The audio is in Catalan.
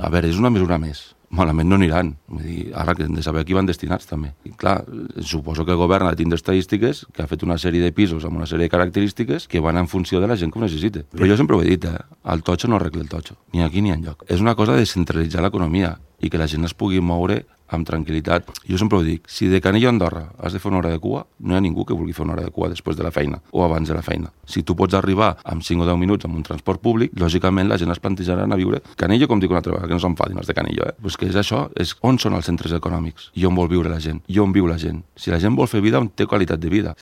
A veure, és una mesura més. Malament no aniran. Vull dir, ara que hem de saber a qui van destinats, també. I clar, suposo que el govern ha de tindre estadístiques, que ha fet una sèrie de pisos amb una sèrie de característiques que van en funció de la gent que ho necessita. Però jo sempre ho he dit, el totxo no arregla el totxo, ni aquí ni enlloc. És una cosa de centralitzar l'economia i que la gent es pugui moure amb tranquil·litat. Jo sempre ho dic, si de Canillo a Andorra has de fer una hora de cua, no hi ha ningú que vulgui fer una hora de cua després de la feina o abans de la feina. Si tu pots arribar amb 5 o 10 minuts amb un transport públic, lògicament la gent es plantejarà a viure. Canillo, com dic una altra vegada, que no s'enfadin els de Canillo, Pues que és això, és on són els centres econòmics i on vol viure la gent, i on viu la gent. Si la gent vol fer vida, on té qualitat de vida.